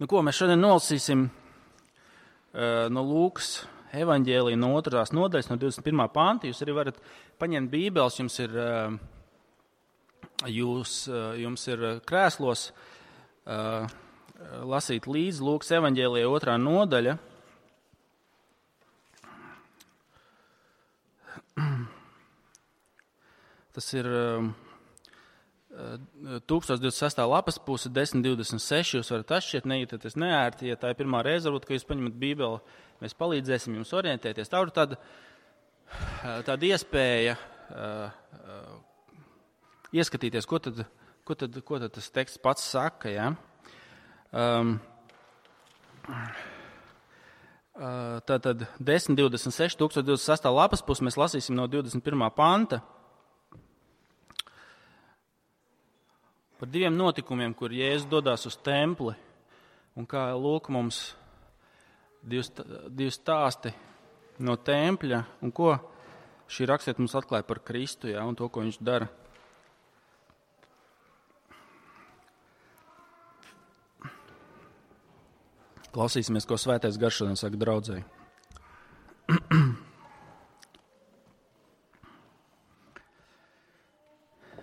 Nu, ko mēs šodien nolasīsim no Lūkas evaņģēlija no 2. nodaļas, no 21. panta. Jūs arī varat paņemt bībeles, jums ir krēslos lasīt līdzi Lūkas evaņģēlija 2. nodaļa. Tas ir 1026. lapas puse, 1026. Jūs varat atšķirt, nejūtaties neērti. Ja tā ir pirmā reize, varbūt, ka jūs paņemat bībeli, mēs palīdzēsim jums orientēties. Tā ir tāda iespēja ieskatīties, ko tad tas teksts pats saka. Ja? Tātad 1026, 1026. lapas puse mēs lasīsim no 21. panta. Par diviem notikumiem, kur Jēzus dodās uz templi, un kā lūk mums divi stāsti no tempļa, un ko šī rakstiet mums atklāja par Kristu, ja, un to, ko viņš dara. Klausīsimies, ko Svētais Gars šodien saka draudzei.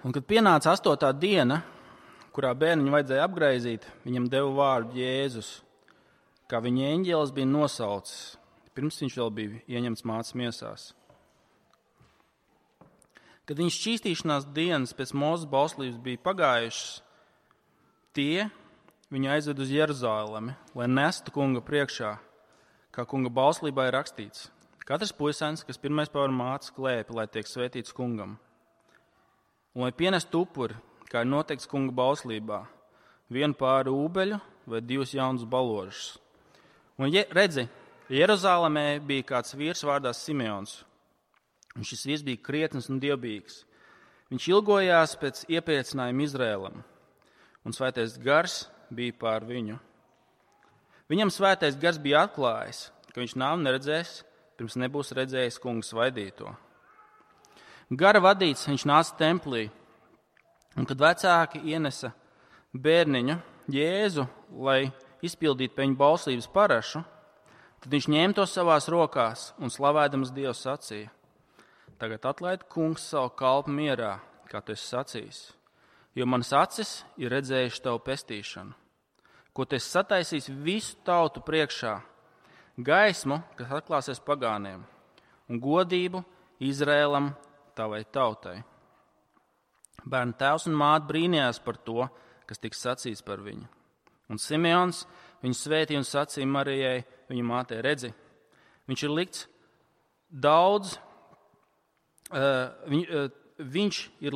Un kad pienāca 8. diena, kurā bērniņu vajadzēja apgraizīt, viņam deva vārdu Jēzus, kā viņa eņģēlis bija nosaucis, pirms viņš vēl bija ieņemts mātes miesās. Kad viņa šķīstīšanās dienas pēc Mūzes bauslības bija pagājušas, tie viņu aizved uz Jeruzalemi, lai nestu kunga priekšā, kā kunga bauslībā ir rakstīts. Katrs puisēns, kas pirmais pavar mātes klēpi, lai tiek svētīts kungam. Un lai pienestu upuri, kā ir noteikts kunga bauslībā, vienu pāri ūbeļu vai 2 jaunus baložus. Un redzi, Jeruzalemē bija kāds vīrs vārdā Simeons, un šis vīrs bija krietns un dievbijīgs. Viņš ilgojās pēc iepriecinājuma Izrēlam, un Svētais Gars bija pār viņu. Viņam Svētais Gars bija atklājis, ka viņš nāvi neredzēs, pirms nebūs redzējis kunga svaidīto. Gara vadīts, viņš nāca templī, un kad vecāki ienesa bērniņu Jēzu, lai izpildītu pie viņa bauslības parašu, tad viņš ņēma to savās rokās un slavēdams Dievu sacīja: Tagad atlaid kungs savu kalpu mierā, kā tu esi sacījis, jo manas acis ir redzējuši tavu pestīšanu, ko tu esi sataisījis visu tautu priekšā, gaismu, kas atklāsies pagāniem, un godību Izrēlam tavai tautai. Bērna tēvs un māte brīnījās par to, kas tiks sacīts par viņu. Un Simeons viņu svētīja un sacīja Marijai, viņa mātei: redzi, viņš ir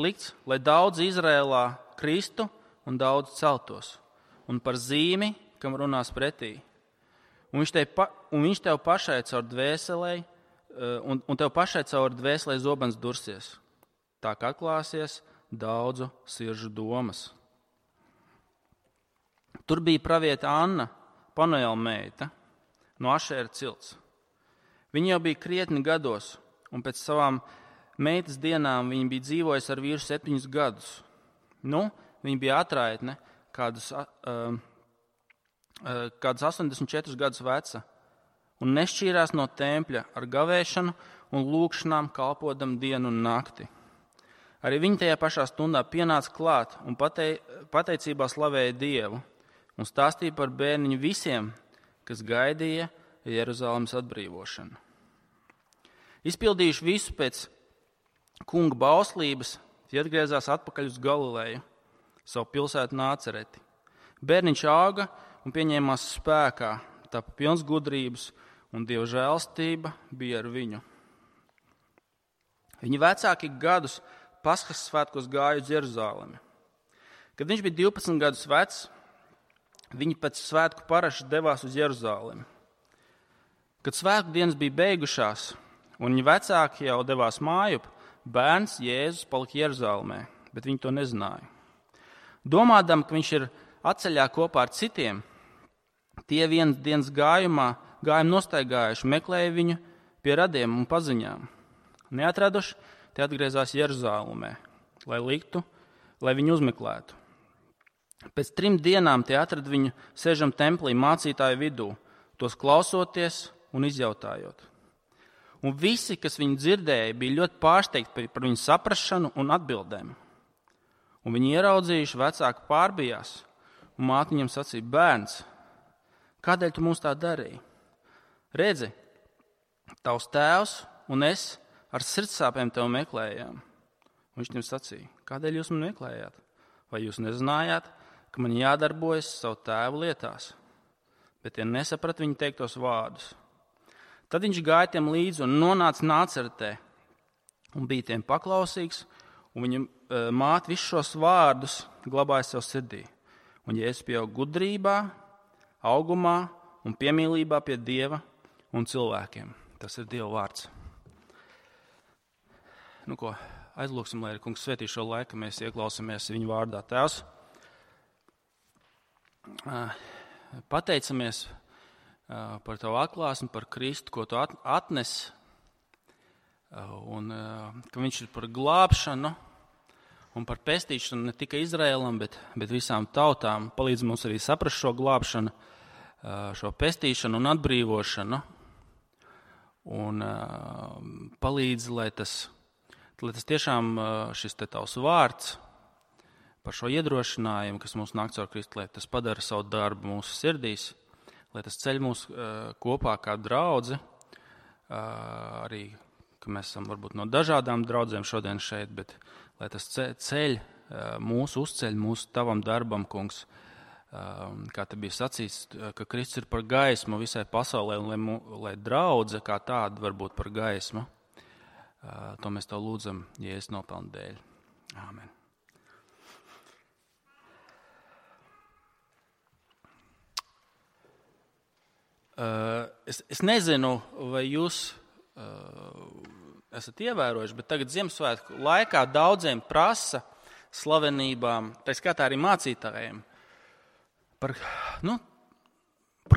likts, lai daudz Izrēlā kristu un daudz celtos, un par zīmi, kam runās pretī. Un viņš tev pašai caur dvēselē, un tev pašai caur dvēselē zobens dursies. Tā kā atklāsies daudzu sirdžu domas. Tur bija praviete Anna, Panuela meita, no Ašēra cilts. Viņa jau bija krietni gados, un pēc savām meitas dienām viņa bija dzīvojusi ar vīru 7 gadus. Viņa bija atraitne, kādus 84 gadus veca, un nešķīrās no tempļa ar gavēšanu un lūgšanām, kalpodam dienu un nakti. Arī viņa tajā pašā stundā pienāca klāt un pateicībā slavēja Dievu un stāstīja par bērniņu visiem, kas gaidīja Jeruzalemes atbrīvošanu. Izpildījuši visu pēc kunga bauslības, tie atgriezās atpakaļ uz Galileju, savu pilsētu Nācereti. Bērniņš auga un pieņēmās spēkā, tapa pilns gudrības, un Dieva žēlstība bija ar viņu. Viņa vecāki gadus Paskas svētkos gāja uz Jeruzalemi. Kad viņš bija 12 gadus vecs, viņi pēc svētku paraša devās uz Jeruzalemi. Kad svētku dienas bija beigušās, un viņa vecāki jau devās mājup, bērns Jēzus palika Jeruzalemē, bet viņi to nezināja. Domādam, ka viņš ir atceļā kopā ar citiem, tie vienas dienas gājumu nostaigājuši, meklēja viņu pie radiem un paziņām. Neatraduši, tie atgriezās Jeruzalemē, lai viņu uzmeklētu. Pēc 3 dienām tie atrada viņu sēžam templī mācītāju vidū, tos klausoties un izjautājot. Un visi, kas viņu dzirdēja, bija ļoti pārsteigti par viņu saprašanu un atbildēm. Un viņi ieraudzījuši, vecāki pārbijās, un māte viņam sacīja: bērns, kādēļ tu mums tā darīji? Redzi, tavs tēvs un es ar sirdsāpēm tevi meklējām. Un viņš viņam sacīja: kādēļ jūs mani meklējāt? Vai jūs nezinājāt, ka man jādarbojas savu tēvu lietās? Bet tie nesaprata viņa teiktos vārdus. Tad viņš gāja tiem līdzi un nonāca Nāceretē un bija tiem paklausīgs, un viņa māte visus šos vārdus glabāja sev sirdī. Un Jēzus pieauga gudrībā, augumā un piemīlībā pie Dieva un cilvēkiem. Tas ir Dieva vārds. Nu ko, aizlūksim, lai Kungs svētī šo laiku, mēs ieklausāmies viņa vārdā. Tēvs, pateicamies par tavu atklāsmi, par Kristu, ko tu atnes, un ka viņš ir par glābšanu un par pestīšanu ne tikai Izraēlam, bet visām tautām. Palīdz mums arī saprast šo glābšanu, šo pestīšanu un atbrīvošanu, un palīdz, lai tas tiešām šis te tavs vārds par šo iedrošinājumu, kas mums nāk caur Kristu, lai tas padara savu darbu mūsu sirdīs, lai tas ceļ mūs kopā kā draudzi, arī, ka mēs esam varbūt no dažādām draudzēm šodien šeit, bet lai tas ceļ uzceļ mūsu tavam darbam, Kungs, kā te bija sacīts, ka Kristus ir par gaismu visai pasaulē, un lai draudze kā tāda var būt par gaismu. To mēs tev lūdzam Jēzus nopelnu dēļ. Āmen. Es nezinu, vai jūs esat ievērojuši, bet tagad Ziemassvētku laikā daudziem prasa slavenībām, tā skatā arī mācītājiem, par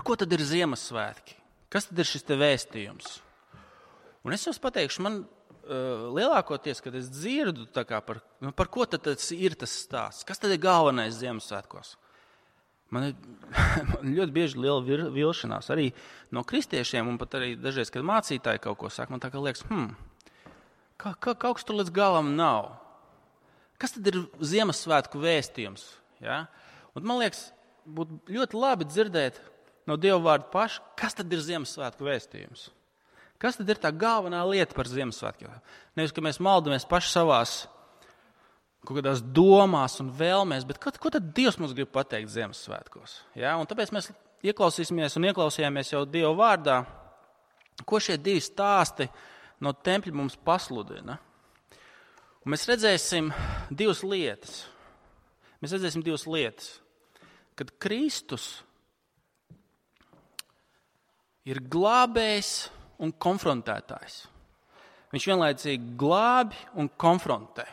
ko tad ir Ziemassvētki? Kas tad ir šis te vēstījums? Un es jums pateikšu, man lielākoties, kad es dzirdu par ko tad ir tas stāsts, kas tad ir galvenais Ziemassvētkos? Man ļoti bieži liela vilšanās arī no kristiešiem, un pat arī dažreiz, kad mācītāji kaut ko saka, man tā kā liekas, kaut kas tur līdz galam nav. Kas tad ir Ziemassvētku vēstījums? Ja? Un man liekas, būtu ļoti labi dzirdēt no Dieva vārda paša, kas tad ir Ziemassvētku vēstījums? Kas tad ir tā galvenā lieta par Ziemassvētkiem? Nevis, ka mēs maldamies paši savās kaut kādās domās un vēlmēs, bet ko tad Dievs mums grib pateikt Ziemassvētkos? Ja? Un tāpēc mēs ieklausījāmies jau Dieva vārdā, ko šie divi stāsti no tempļa mums pasludina. Un mēs redzēsim divas lietas. Kad Kristus ir glābējs un konfrontētājs. Viņš vienlaicīgi glābi un konfrontē.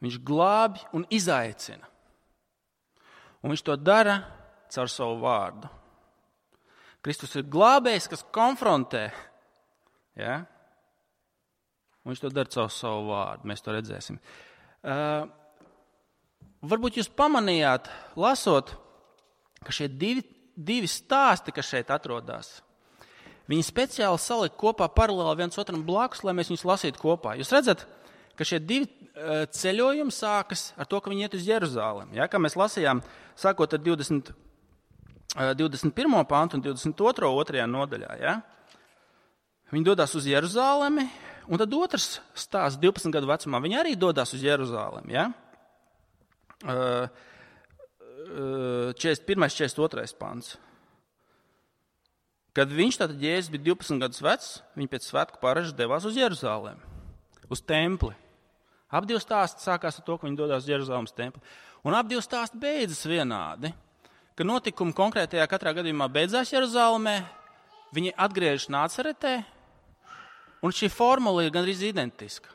Viņš glābi un izaicina. Un viņš to dara caur savu vārdu. Kristus ir glābējs, kas konfrontē. Ja? Un viņš to dara caur savu vārdu. Mēs to redzēsim. Varbūt jūs pamanījāt, lasot, ka šie divi stāsti, kas šeit atrodas, viņi speciāli salika kopā paralēli viens otram blakus, lai mēs viņus lasītu kopā. Jūs redzat, ka šie divi ceļojumi sākas ar to, ka viņi iet uz Jeruzālemi. Ja? Kā mēs lasījām, sākot ar 21. pantu un 22. nodaļā. Ja? Viņi dodas uz Jeruzālemi, un tad otrs stāsts 12 gadu vecumā. Viņi arī dodas uz Jeruzālemi. Ja? 41. 42. pants. Kad viņš, tātad Jēzus, bija 12 gadus vecs, viņi pēc svētku paražas devās uz Jeruzālemi, uz templi. Ap divi stāsti sākās ar to, ka viņi dodas uz Jeruzālemes templi. Un ap divi stāsti beidzas vienādi, ka notikumi konkrētajā katrā gadījumā beidzās Jeruzālemē, viņi atgriežas Nāceretē, un šī formula ir gandrīz identiska.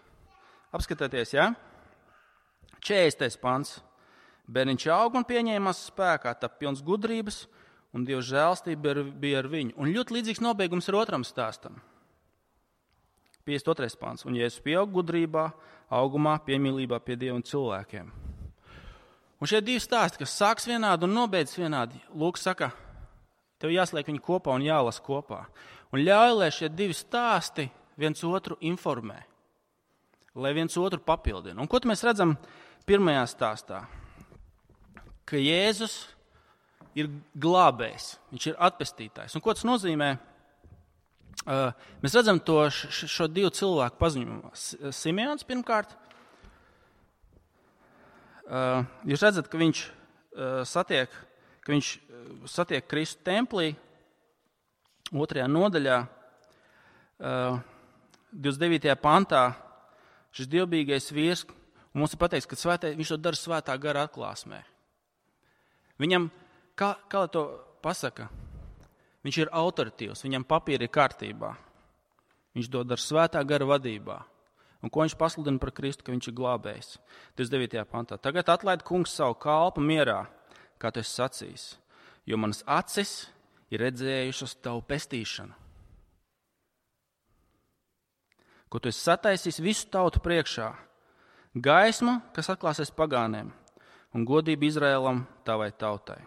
Apskatieties, ja? 40. pants. Bērniņš aug un pieņēmās spēkā, tā pilns gudrības, un Dieva žēlstība bija ar viņu. Un ļoti līdzīgs nobeigums ir otram stāstam. 52. pants. Un Jēzus pieaug gudrībā, augumā, piemīlībā pie Dieva un cilvēkiem. Un šie divi stāsti, kas sāks vienādi un nobeidz vienādi, Lūks saka, tev jāsliek viņi kopā un jālas kopā. Un ļauj, lai šie divi stāsti viens otru informē, lai viens otru papildina. Un ko mēs redzam pirmajā stāstā? Ka Jēzus ir glābējs, viņš ir atpestītājs. Un ko tas nozīmē? Mēs redzam šo divu cilvēku paziņojumā. Simeons pirmkārt, jūs redzat, ka viņš satiek Kristu templī, 2. nodaļā, 29. pantā, šis dievbijīgais vīrs, un mums ir pateikts, ka viņš to dara svētā gara atklāsmē. Viņam, kā lai to pasaka, viņš ir autoritīvs, viņam papīri ir kārtībā. Viņš to dara svētā gara vadībā. Un ko viņš pasludina par Kristu, ka viņš ir glābējs? 29. pantā. Tagad atlaid kungs savu kalpu mierā, kā tu esi sacījis, jo manas acis ir redzējušas tavu pestīšanu, ko tu esi sataisījis visu tautu priekšā, gaismu, kas atklāsies pagāniem, un godību Izraēlam tavai tautai.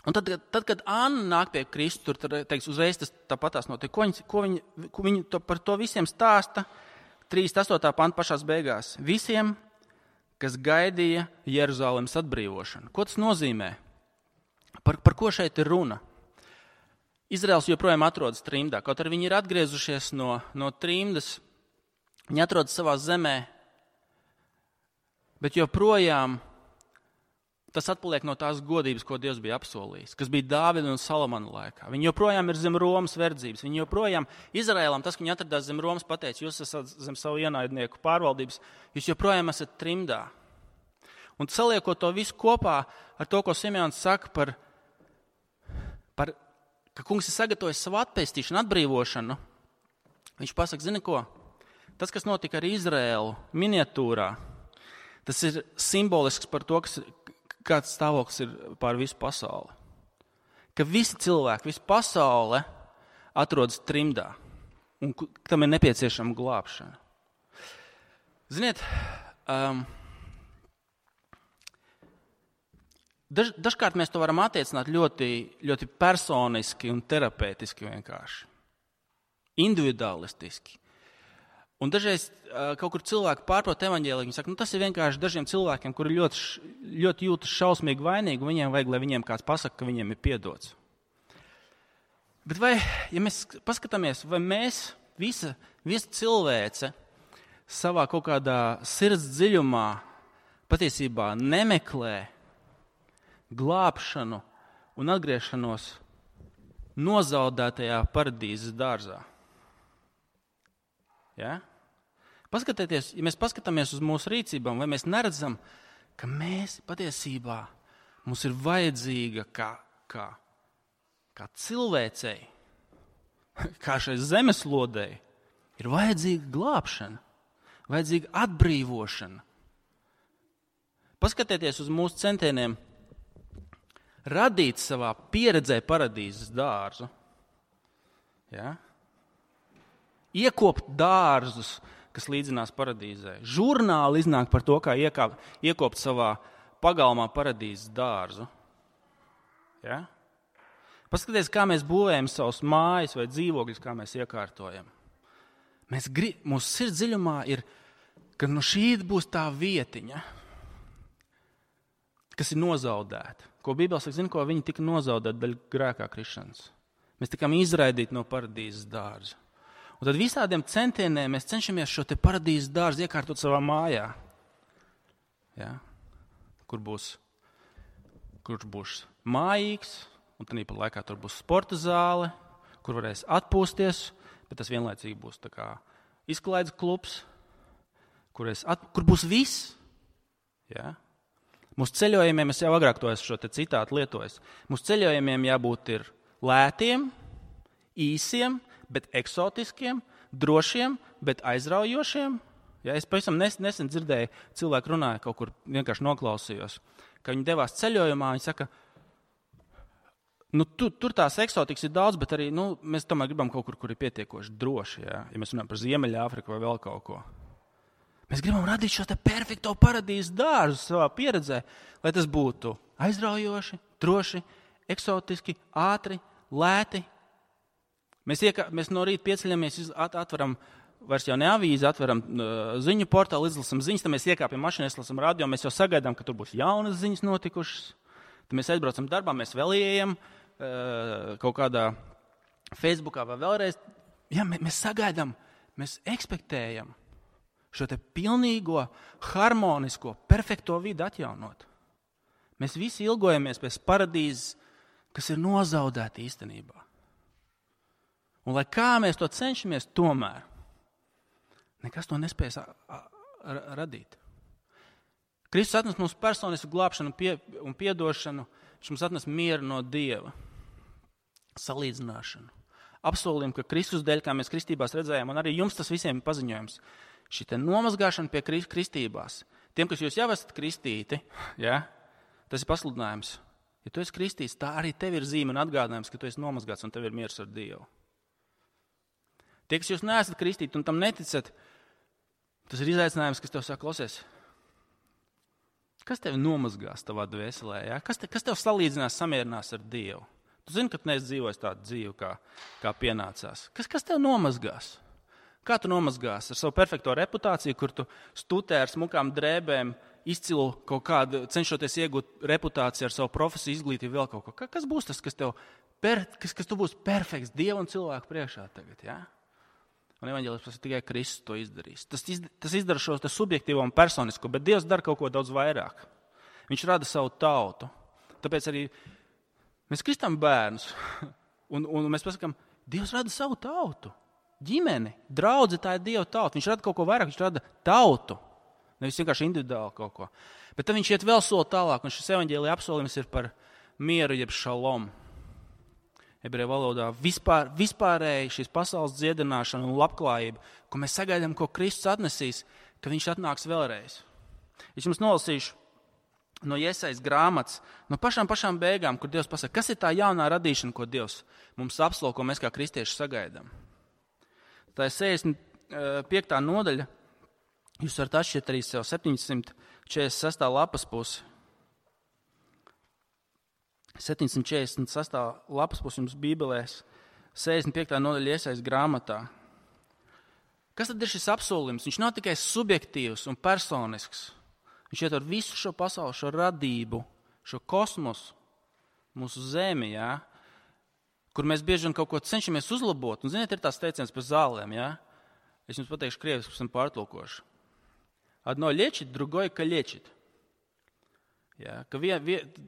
Un tad, kad Anna nāk pie Kristu, tur teiks, uzreiz tas tāpatās notiek. Ko viņi par to visiem stāsta? 38. panta pašās beigās. Visiem, kas gaidīja Jeruzalemes atbrīvošanu. Ko tas nozīmē? Par ko šeit ir runa? Izraels joprojām atrodas trimdā. Kaut arī viņi ir atgriezušies no trimdas, viņi atrodas savā zemē, bet joprojām tas atpaliek no tās godības, ko Dievs bija apsolījis, kas bija Dāvida un Salamana laikā. Viņi joprojām ir zem Romas verdzības. Viņi joprojām, Izraēlam, tas, ka viņi atradās zem Romas, pateica, jūs esat zem savu ienaidnieku pārvaldības, jūs joprojām esat trimdā. Un saliekot to visu kopā ar to, ko Simeons saka ka kungs ir sagatavojis savu atpestīšanu, atbrīvošanu, viņš pasaka, zini ko, tas, kas notika ar Izraēlu miniatūrā, tas ir simbolisks par to, kāds stāvoklis ir pār visu pasauli. Ka visi cilvēki, visa pasaule atrodas trimdā un tam ir nepieciešama glābšana. Ziniet, dažkārt mēs to varam attiecināt ļoti, ļoti personiski un terapeitiski vienkārši. Individualistiski. Un dažreiz kaut kur cilvēki pārprot evaņģēliju, viņi saka, tas ir vienkārši dažiem cilvēkiem, kuri ļoti jūtas šausmīgi vainīgi, un viņiem vajag, lai viņiem kāds pasaka, ka viņiem ir piedots. Bet vai, ja mēs paskatāmies, vai mēs, visa cilvēce, savā kaut kādā sirds dziļumā patiesībā nemeklē glābšanu un atgriešanos nozaudētajā paradīzes dārzā? Ja? Paskatieties, ja mēs paskatāmies uz mūsu rīcībām, vai mēs neredzam, ka mēs patiesībā mums ir vajadzīga kā cilvēcei, kā šai zemeslodei, ir vajadzīga glābšana, vajadzīga atbrīvošana. Paskatieties uz mūsu centieniem radīt savā pieredzē paradīzes dārzu. Ja? Iekopt dārzus, kas līdzinās paradīzē. Žurnāli iznāk par to, kā iekopt savā pagalmā paradīzes dārzu. Ja? Paskatieties, kā mēs būvējam savus mājas vai dzīvokļus, kā mēs iekārtojam. Mūsu sirds dziļumā ir, ka no šī būs tā vietiņa, kas ir nozaudēta. Ko Bībele saka, ko viņi tika nozaudēti daļa grēkā krišanas. Mēs tikām izraidīti no paradīzes dārza. Un tad visādiem centieniem mēs cenšamies šo te paradīzes dārzu iekārtot savā mājā. Ja? Kurš būs mājīgs, un tad pa laikā tur būs sporta zāle, kur varēs atpūsties, bet tas vienlaicīgi būs tā kā izklaides klubs, kur būs viss. Ja? Mūsu ceļojumiem, es jau agrāk to esmu šo te citātu lietojis, mūsu ceļojumiem jābūt ir lētiem, īsiem, bet eksotiskiem, drošiem, bet aizraujošiem. Ja, es pavisam nesen dzirdēju, cilvēki runāja kaut kur, vienkārši noklausījos, ka viņi devās ceļojumā, viņi saka, tur tās eksotikas ir daudz, bet arī mēs tomēr gribam kaut kur ir pietiekoši droši, ja mēs runājam par Ziemeļāfriku vai vēl kaut ko. Mēs gribam radīt šo te perfekto paradīzes dārzu savā pieredzē, lai tas būtu aizraujoši, droši, eksotiski, ātri, lēti. Mēs no rīta pieceļamies, atveram vairs jau ne avīzi, atveram ziņu portālu, izlasam ziņas, tad mēs iekāpjam mašīnā, izlasam radio, mēs jau sagaidām, ka tur būs jaunas ziņas notikušas. Tad mēs aizbraucam darbā, mēs vēl ieejam kaut kādā Facebookā vai vēlreiz. Jā, mēs sagaidām, mēs ekspektējam šo te pilnīgo, harmonisko, perfekto vidi atjaunot. Mēs visi ilgojamies pēc paradīzes, kas ir nozaudēta īstenībā. Un lai kā mēs to cenšamies, tomēr nekas to nespējas radīt. Kristus atnes mums personisku glābšanu un piedošanu, viņš mums atnes mieru no Dieva, salīdzināšanu. Apsolījumu, ka Kristus dēļ, kā mēs kristībās redzējām, un arī jums tas visiem ir paziņojums, šī te nomazgāšana pie kristībās. Tiem, kas jūs jau esat kristīti, ja, tas ir pasludinājums. Ja tu esi kristīts, tā arī tev ir zīme un atgādinājums, ka tu esi nomazgāts un tev ir miers ar Dievu. Tie, kas jūs neesat kristīti un tam neticat, tas ir izaicinājums, kas tev saka, klausies, kas tev nomazgās tavā dvēselē? Ja? Kas tev salīdzinās, samierinās ar Dievu? Tu zini, ka tu neesi dzīvojis tādu dzīvi, kā pienācās. Kas tev nomazgās? Kā tu nomazgās? Ar savu perfekto reputāciju, kur tu stutē ar smukām drēbēm, izcilu kaut kādu, cenšoties iegūt reputāciju ar savu profesiju, izglītību, vēl kaut ko. Kas būs tas, kas tu būsi perfekts Dievu un cilvēku priekšā tagad, ja? Un evaņģēlis tikai Kristus to izdarīs. Tas izdara šo subjektīvo un personisko, bet Dievs dara kaut ko daudz vairāk. Viņš rada savu tautu. Tāpēc arī mēs kristām bērnus, un mēs pasakām, Dievs rada savu tautu. Ģimeni, draudze, tā ir Dieva tauta. Viņš rada kaut ko vairāk, viņš rada tautu. Nevis vienkārši individuāli kaut ko. Bet tad viņš iet vēl soli tālāk, un šis evaņģēlija apsolījums ir par mieru, jeb šalom. Ebreju valodā vispārēji šīs pasaules dziedināšana un labklājība, ko mēs sagaidām, ko Kristus atnesīs, ka viņš atnāks vēlreiz. Es jums nolasīšu no Jesajas grāmatas, no pašām beigām, kur Dievs pasaka, kas ir tā jaunā radīšana, ko Dievs mums apsolo, ko mēs kā kristieši sagaidām. Tā ir 65. nodaļa. Jūs varat atšķirt arī sev 746. lapas pusi. 746. lapas pusi jums Bībelēs, 65. nodaļa Jesajas grāmatā. Kas tad ir šis apsolījums? Viņš nav tikai subjektīvs un personisks. Viņš ietver visu šo pasauli, šo radību, šo kosmosu, mūsu zemi, jā, kur mēs bieži vien kaut ko cenšamies uzlabot. Un, ziniet, ir tās teiciens par zālēm, jā? Es jums pateikšu krieviski, esam pārtulkoši. Одно лечит, другое калечит. Ja, ka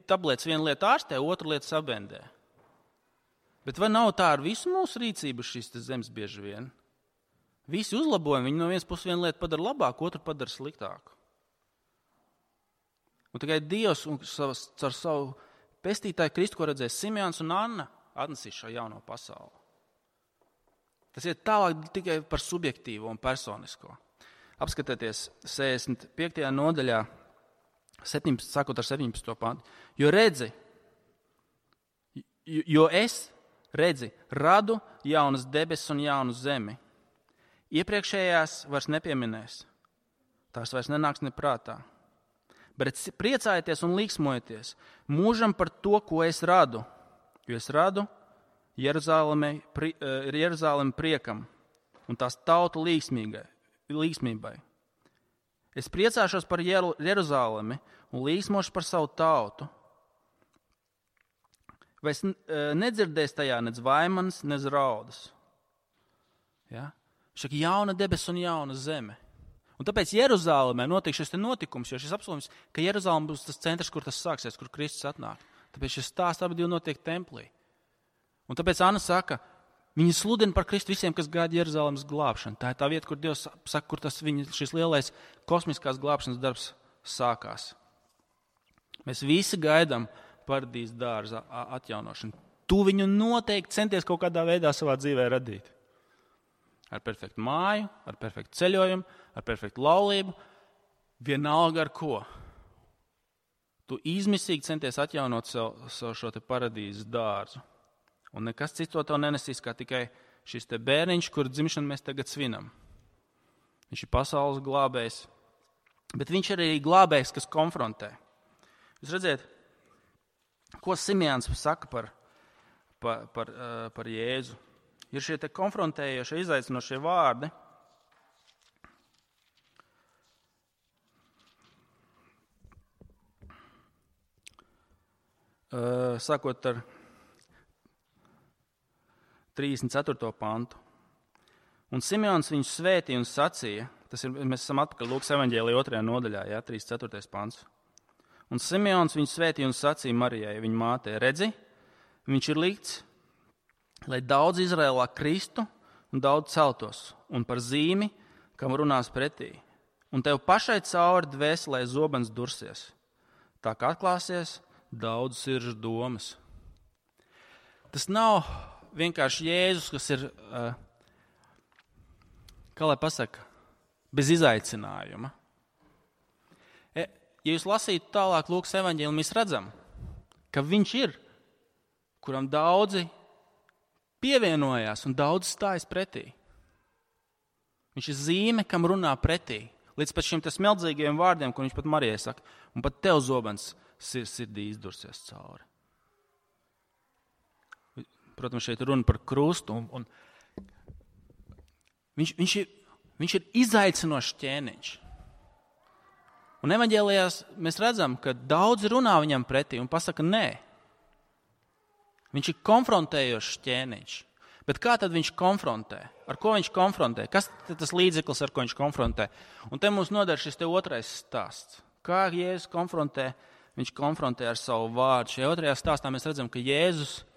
tablets viena lieta ārstē, otra lieta sabendē. Bet vai nav tā ar visu mūsu rīcību šīs zemes bieži vien? Visi uzlabojumi, viņi no vienas puses vienu lietu padara labāku, otru padara sliktāku. Un tikai Dievs un caur savu pestītāju Kristu, ko redzēs Simeons un Anna, atnesīs šo jauno pasauli. Tas ir tālāk tikai par subjektīvo un personisko. Apskatieties 65. nodaļā, sākot ar 17. pantu. Jo es redzi, radu jaunas debesis un jaunu zemi. Iepriekšējās vairs nepieminēs. Tās vairs nenāks neprātā. Bet priecājieties un līksmojieties mūžam par to, ko es radu. Jo es radu Jeruzalemi priekam un tās tautu līksmībai. Es priecāšos par Jeruzalemi un līksmošu par savu tautu. Vai es nedzirdēs tajā nec vaimanas, nec raudas. Ja? Šaka jauna debesis un jauna zeme. Un tāpēc Jeruzalemē notiek šis notikums, jo šis apsolījums, ka Jeruzalem būs tas centrs, kur tas sāksies, kur Kristus atnāk. Tāpēc šis stāsts abi divi notiek templī. Un tāpēc Anna saka, viņa sludina par Kristu visiem, kas gaida Jeruzalemes glābšanu. Tā ir tā vieta, kur Dievs saka, kur šis lielais kosmiskās glābšanas darbs sākās. Mēs visi gaidām paradīzes dārza atjaunošanu. Tu viņu noteikti centies kaut kādā veidā savā dzīvē radīt. Ar perfektu māju, ar perfektu ceļojumu, ar perfektu laulību, vienalga ar ko. Tu izmisīgi centies atjaunot savu šo te paradīzes dārzu. Un nekas cits to tev nenesīs, kā tikai šis te bērniņš, kur dzimšanu mēs tagad svinam. Viņš ir pasaules glābējs, Bet viņš ir arī glābējs, kas konfrontē. Jūs redziet, ko Simeons saka par Jēzu. Ir šie te konfrontējošie, izaicinošie vārdi. Sākot ar 34. pantu. Un Simeons viņu svētīja un sacīja, mēs esam atpakaļ Lūkas evaņģēlijā 2. nodaļā, 34. pants. Un Simeons viņu svētīja un sacīja Marijai, viņa mātei, redzi, viņš ir likts, lai daudz Izraēlā kristu un daudz celtos, un par zīmi, kam runās pretī. Un tev pašai cauri dvēselē zobens dursies, tā kā atklāsies daudz sirdžu domas. Tas nav vienkārši Jēzus, kas ir, kā lai pasaka, bez izaicinājuma. Ja jūs lasītu tālāk Lūkas evaņģēliju, mēs redzam, ka viņš ir, kuram daudzi pievienojās un daudz stājas pretī. Viņš ir zīme, kam runā pretī. Līdz pat šiem smeldzīgiem vārdiem, ko viņš pat Marijai saka, un pat tev zobens sirdī izdursies cauri. Protams, šeit runa par krustu. Un viņš ir izaicinošs ķēniņš. Un evaņģēlijās mēs redzam, ka daudzi runā viņam pretī un pasaka nē. Viņš ir konfrontējošs ķēniņš. Bet kā tad viņš konfrontē? Ar ko viņš konfrontē? Kas ir tas līdzeklis, ar ko viņš konfrontē? Un te mums noder šis te otrais stāsts. Kā Jēzus konfrontē? Viņš konfrontē ar savu vārdu. Šajā otrajā stāstā mēs redzam, ka Jēzus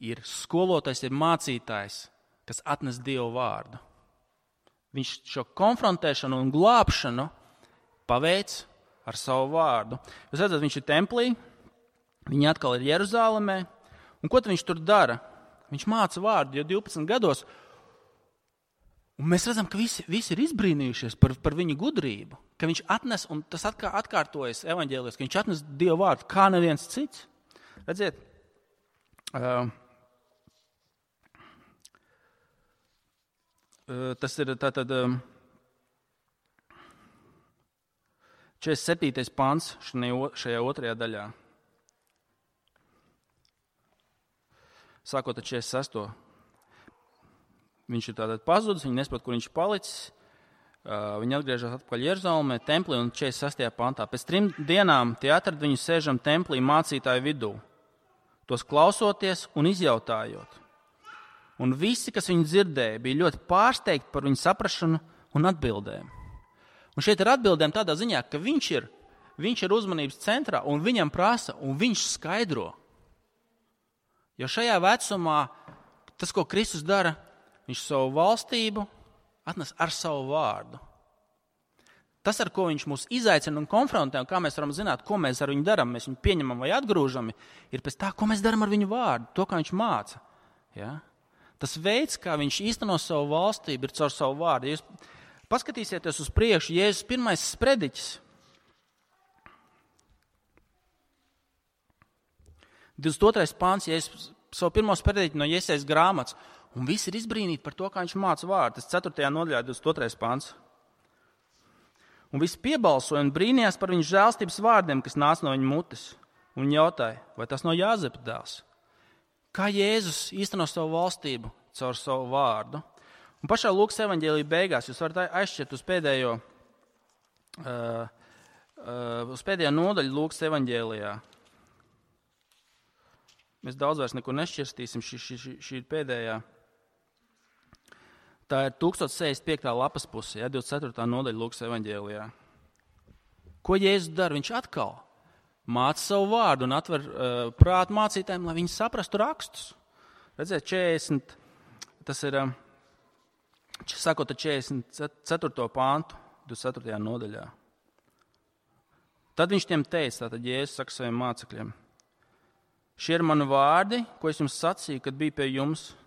ir skolotājs, ir mācītājs, kas atnes Dievu vārdu. Viņš šo konfrontēšanu un glābšanu paveic ar savu vārdu. Jūs redzat, viņš ir templī, viņi atkal ir Jeruzālemē. Un ko viņš tur dara? Viņš māca vārdu jau 12 gados. Un mēs redzam, ka visi ir izbrīnījušies par viņu gudrību. Ka viņš atnes, un tas atkārtojas evaņģēlijos, ka viņš atnes Dievu vārdu kā neviens cits. Redziet, tas ir tātad 47. pants šajā otrajā daļā. Sākot ar 46. Viņš ir tātad pazudis, viņi nesaprot, kur viņš ir palicis. Viņi atgriežas atpakaļ Jeruzalemē, templī un 46. pantā. Pēc 3 dienām tie atrada viņu sēžam templī mācītāju vidū, tos klausoties un izjautājot. Un visi, kas viņu dzirdēja, bija ļoti pārsteigti par viņu saprašanu un atbildēm. Un šeit ir atbildēm tādā ziņā, ka viņš ir uzmanības centrā un viņam prasa un viņš skaidro. Jo šajā vecumā tas, ko Kristus dara, viņš savu valstību atnes ar savu vārdu. Tas, ar ko viņš mūs izaicina un konfrontē, un kā mēs varam zināt, ko mēs ar viņu darām, mēs viņu pieņemam vai atgrūžam, ir pēc tā, ko mēs darām ar viņu vārdu, to, kā viņš māca. Ja? Tas veids, kā viņš īsteno savu valstību, ir caur savu vārdu. Ja jūs paskatīsieties uz priekšu, Jēzus pirmais sprediķis, 22. pāns, Jēzus savu pirmo sprediķi no Jesajas grāmatas, un visi ir izbrīnīti par to, kā viņš māca vārdu. Tas 4. nodaļā 22. pāns. Un visi piebalsoja un brīnījās par viņu žēlstības vārdiem, kas nāca no viņa mutes, un jautāja, vai tas no Jāzepa dēls. Kā Jēzus īsteno savu valstību caur savu vārdu. Un pašā Lūkas evaņģēlijā beigās jūs varat aizšķirt uz pēdējo nodaļu Lūkas evaņģēlijā. Mēs daudz vairs neko nešķirstīsim, šī ir pēdējā. Tā ir 1065. lapas puse, 24. nodaļa Lūkas evaņģēlijā. Ko Jēzus dara? Viņš atkal māca savu vārdu un atver prātu mācītājiem, lai viņi saprastu rakstus. Redziet, 40, tas ir, sākot ar 44. pāntu, 24. nodaļā. Tad viņš tiem teica, tātad Jēzus saka saviem mācekļiem, šie ir mani vārdi, ko es jums sacīju, kad biju pie jums.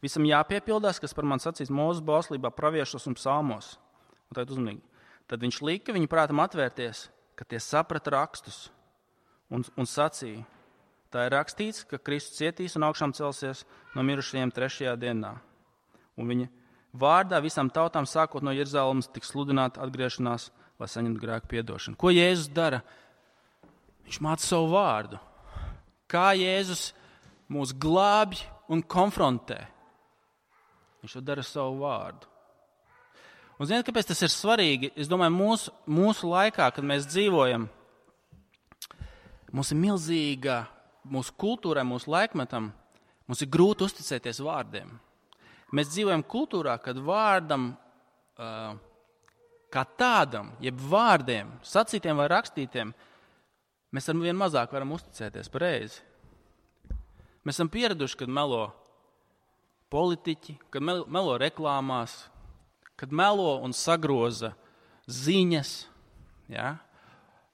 Visam jāpiepildās, kas par mani sacīts Mūzes bauslībā, praviešos un psalmos. Un tagad uzmanīgi. Tad viņš lika viņu prātam atvērties, ka tie saprata rakstus un sacīja. Tā ir rakstīts, ka Kristus cietīs un augšām celsies no mirušajiem 3. dienā. Un viņa vārdā visām tautām sākot no Jeruzalemes tiks sludināta atgriešanās, lai saņemtu grēku piedošanu. Ko Jēzus dara? Viņš māca savu vārdu. Kā Jēzus mūs glābj un konfrontē? Viņš to dara savu vārdu. Un ziniet, kāpēc tas ir svarīgi? Es domāju, mūsu laikā, kad mēs dzīvojam, mums ir milzīga, mūsu kultūrai, mūsu laikmetam, mums ir grūti uzticēties vārdiem. Mēs dzīvojam kultūrā, kad vārdam, kā tādam, jeb vārdiem, sacītiem vai rakstītiem, mēs ar vien mazāk varam uzticēties pareizi. Mēs esam pieraduši, kad melo politiķi, kad melo reklāmās, kad melo un sagroza ziņas. Ja?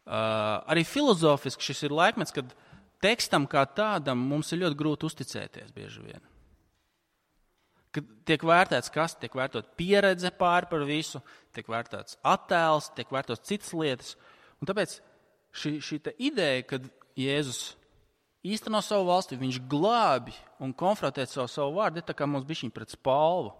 Arī filozofiski šis ir laikmets, kad tekstam kā tādam mums ir ļoti grūti uzticēties bieži vien. Kad tiek vērtēts kas, tiek vērtot pieredze pāri par visu, tiek vērtēts attēls, tiek vērtots citas lietas. Un tāpēc šī ideja, kad Jēzus īsteno savu valsti, viņš glābi un konfrontē savu vārdu, ir tā kā mums bišķiņ pret spalvu.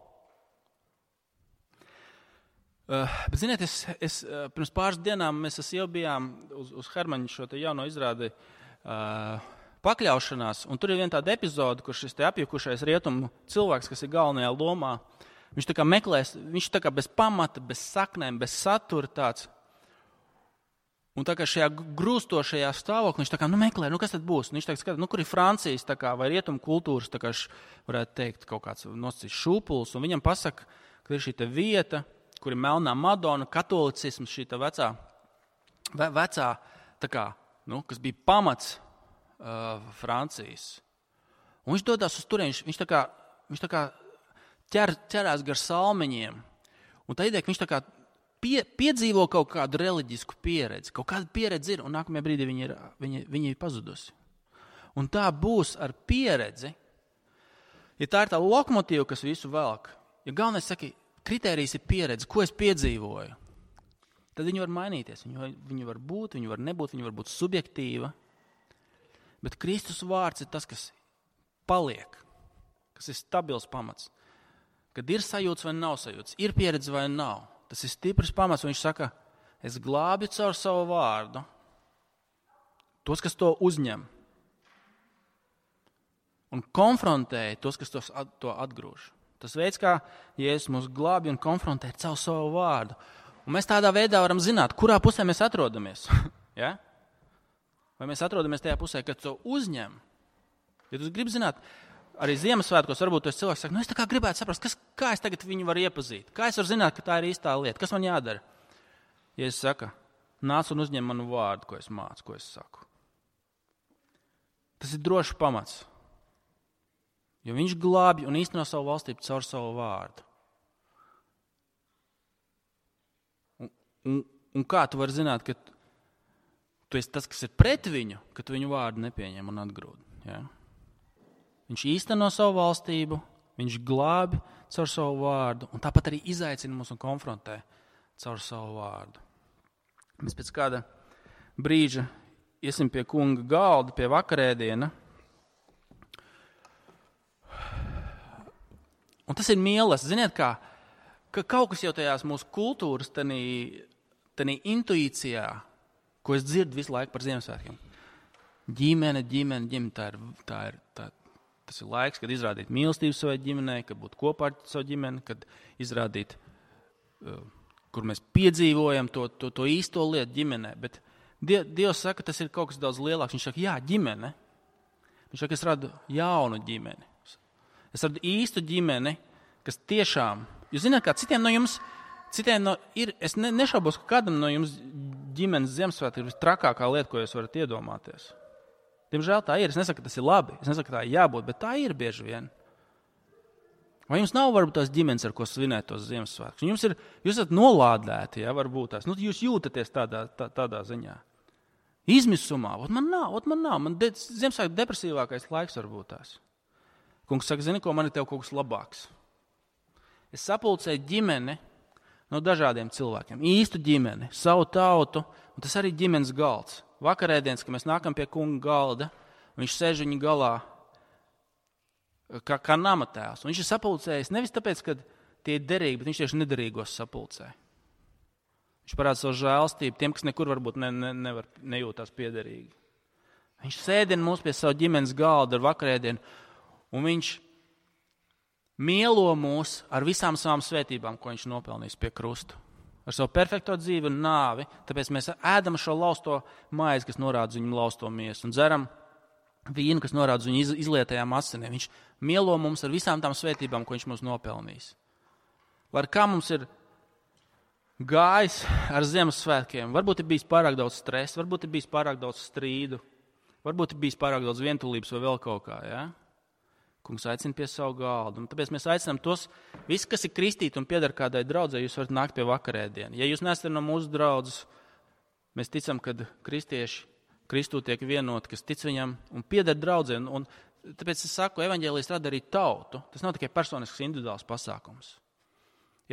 Bet, ziniet, es pirms pāris dienām mēs jau bijām uz Hermaņa šo te jauno izrādi pakļaušanās, un tur ir viena tāda epizode, kur šis te apjukušais rietumu cilvēks, kas ir galvenajā lomā, viņš tā kā meklēs, viņš tā kā bez pamata, bez saknēm, bez satura tāds. Un tā kā šajā grūstošajā stāvoklī viņš tā kā meklē, kas tad būs? Un viņš tā kā skata, kur ir Francijas tā kā, vai rietumu kultūras, tā kā varētu teikt, kaut kāds nosacīs šūpuls, un viņam pasaka, ka ir šī te vieta, kur ir melnā Madona, katolicisms, šī tā vecā tā kā, kas bija pamats Francijas. Un viņš dodās uz turieni, viņš tā kā ķerās gar salmeņiem. Un tā ideja, ka viņš tā kā piedzīvo kaut kādu reliģisku pieredzi. Kaut kāda pieredze ir, un nākamajā brīdī viņa ir pazudusi. Un tā būs ar pieredzi. Ja tā ir tā lokomotīva, kas visu velk, ja galvenais saka, kritērijs ir pieredze, ko es piedzīvoju, tad viņi var mainīties. Viņi var būt, viņi var nebūt, viņi var būt subjektīva. Bet Kristus vārds ir tas, kas paliek, kas ir stabils pamats. Kad ir sajūts vai nav sajūts, ir pieredze vai nav. Tas ir stiprs pamats, un viņš saka, es glābju caur savu vārdu tos, kas to uzņem, un konfrontēja tos, kas to atgrūž. Tas veids, kā Jēzus mūs glābj un konfrontē caur savu vārdu. Un mēs tādā veidā varam zināt, kurā pusē mēs atrodamies. Ja? Vai mēs atrodamies tajā pusē, kad to uzņem? Ja tu gribi zināt, arī Ziemassvētkos varbūt tos cilvēks saka, es tā kā gribētu saprast, kā es tagad viņu varu iepazīt. Kā es varu zināt, ka tā ir īstā lieta? Kas man jādara? Jēzus saka, nāc un uzņem manu vārdu, ko es mācu, ko es saku. Tas ir drošs pamats. Jo viņš glābj un īsteno savu valstību caur savu vārdu. Un kā tu vari zināt, ka tu esi tas, kas ir pret viņu, ka tu viņu vārdu nepieņem un atgrūd? Ja? Viņš īsteno savu valstību, viņš glābj caur savu vārdu, un tāpat arī izaicina mūs un konfrontē caur savu vārdu. Mēs pēc kāda brīža iesim pie kunga galda, pie vakarēdiena. Un tas ir mīlestības. Ziniet, ka kaut kas jau tajās mūsu kultūras, tanī intuīcijā, ko es dzirdu visu laiku par Ziemassvētkiem. Ģimene, tas ir laiks, kad izrādīt mīlestību savai ģimenei, kad būt kopā ar savu ģimeni, kad izrādīt, kur mēs piedzīvojam to īsto lietu ģimenē. Bet Dievs saka, tas ir kaut kas daudz lielāks. Viņš saka, jā, ģimene. Viņš saka, es radu jaunu ģimeni. Es radu īstu ģimeni, kas tiešām, jūs zināt, kā citiem no jums, es nešaubos, ka kādam no jums ģimenes Ziemassvētki ir vistrakākā lieta, ko jūs varat iedomāties. Diemžēl tā ir. Es nesaku, ka tas ir labi. Es nesaku, ka tā ir jābūt, bet tā ir bieži vien. Vai jums nav varbūt tās ģimenes, ar ko svinēt tos Ziemassvētkus? Jūs esat nolādēti, ja, varbūt tās. Jūs jūtaties tādā ziņā. Izmisumā. Man nav. Man Ziemassvētku depresīvākais laiks varbūt tās. Kungs saka, zini, ko man ir tev kaut kas labāks. Es sapulcēju ģimeni no dažādiem cilvēkiem. Īstu ģimeni, savu tautu, un tas arī ģimenes galds. Vakarēdienas, kad mēs nākam pie kunga galda, viņš sēž viņa galā kā nama tēvs. Un viņš ir sapulcējis nevis tāpēc, ka tie ir derīgi, bet viņš tieši nederīgos sapulcē. Viņš parāda savu žēlstību tiem, kas nekur varbūt nejūtās piederīgi. Viņš sēdina mūs pie savu ģimenes galda ar vakarēdienu, un viņš mielo mūs ar visām savām svētībām, ko viņš nopelnījis pie krusta. Ar savu perfekto dzīvi un nāvi, tāpēc mēs ēdam šo lausto maizi, kas norāda uz viņu lausto miesu, un dzeram vīnu, kas norāda uz viņu izlietajām asinīm. Viņš mielo mums ar visām tām svētībām, ko viņš mums nopelnījis. Lai kā mums ir gājis ar Ziemassvētkiem, varbūt ir bijis pārāk daudz stresa, varbūt ir bijis pārāk daudz strīdu, varbūt ir bijis pārāk daudz vientulības vai vēl kaut kā, ja? Kungs aicina pie savu galdu. Un tāpēc mēs aicinām tos, visi, kas ir kristīti un pieder kādai draudzē, jūs varat nākt pie vakarēdienu. Ja jūs nesat no mūsu draudzes, mēs ticam, ka kristieši Kristū tiek vienoti, kas tic viņam un pieder draudzē. Un tāpēc es saku, evaņģēlijs rada arī tautu. Tas nav tikai personisks individuāls pasākums.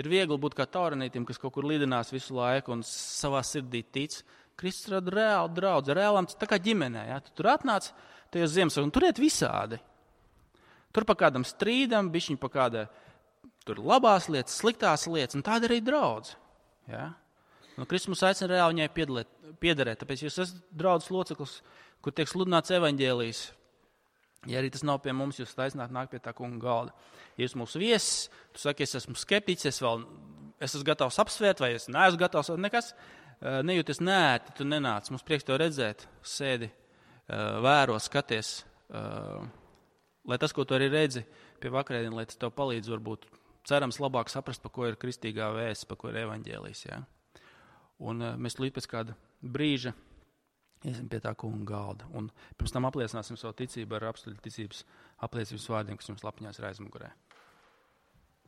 Ir viegli būt kā taurinītim, kas kaut kur lidinās visu laiku un savā sirdī tic. Kristus rada reāli draudzi, reālam, tā kā ģimenē. Ja? Tu tur atnāc tajos Ziemassvētkos un tur iet visādi. Tur pa kādam strīdam, bišķiņ pa kādai tur labās lietas, sliktās lietas, un tāda arī draudz. Ja? Kristus mums aicina reāli viņai piederēt, tāpēc jūs esat draudzes loceklis, kur tiek sludināts evaņģēlijs. Ja arī tas nav pie mums, jūs aicināt nākt pie tā kunga galda. Ja jūs mūsu viesis, tu saki, es esmu skeptiķis, es esmu gatavs apsvērt, vai es neesmu gatavs, nekas, nejūties nēti, tu nenāc, mums prieks tev redzēt, sēdi, vēro, skaties, lai tas, ko tu arī redzi pie vakarēdiena, lai tas tev palīdz varbūt cerams labāk saprast, pa ko ir kristīgā vēsts, pa ko ir evaņģēlijs. Ja? Un mēs līdz pēc kāda brīža iesim pie tā kunga galda. Un pirms tam apliecināsim savu ticību ar apstuļu ticības apliecības vārdiem, kas jums lapņās ir aizmugurē.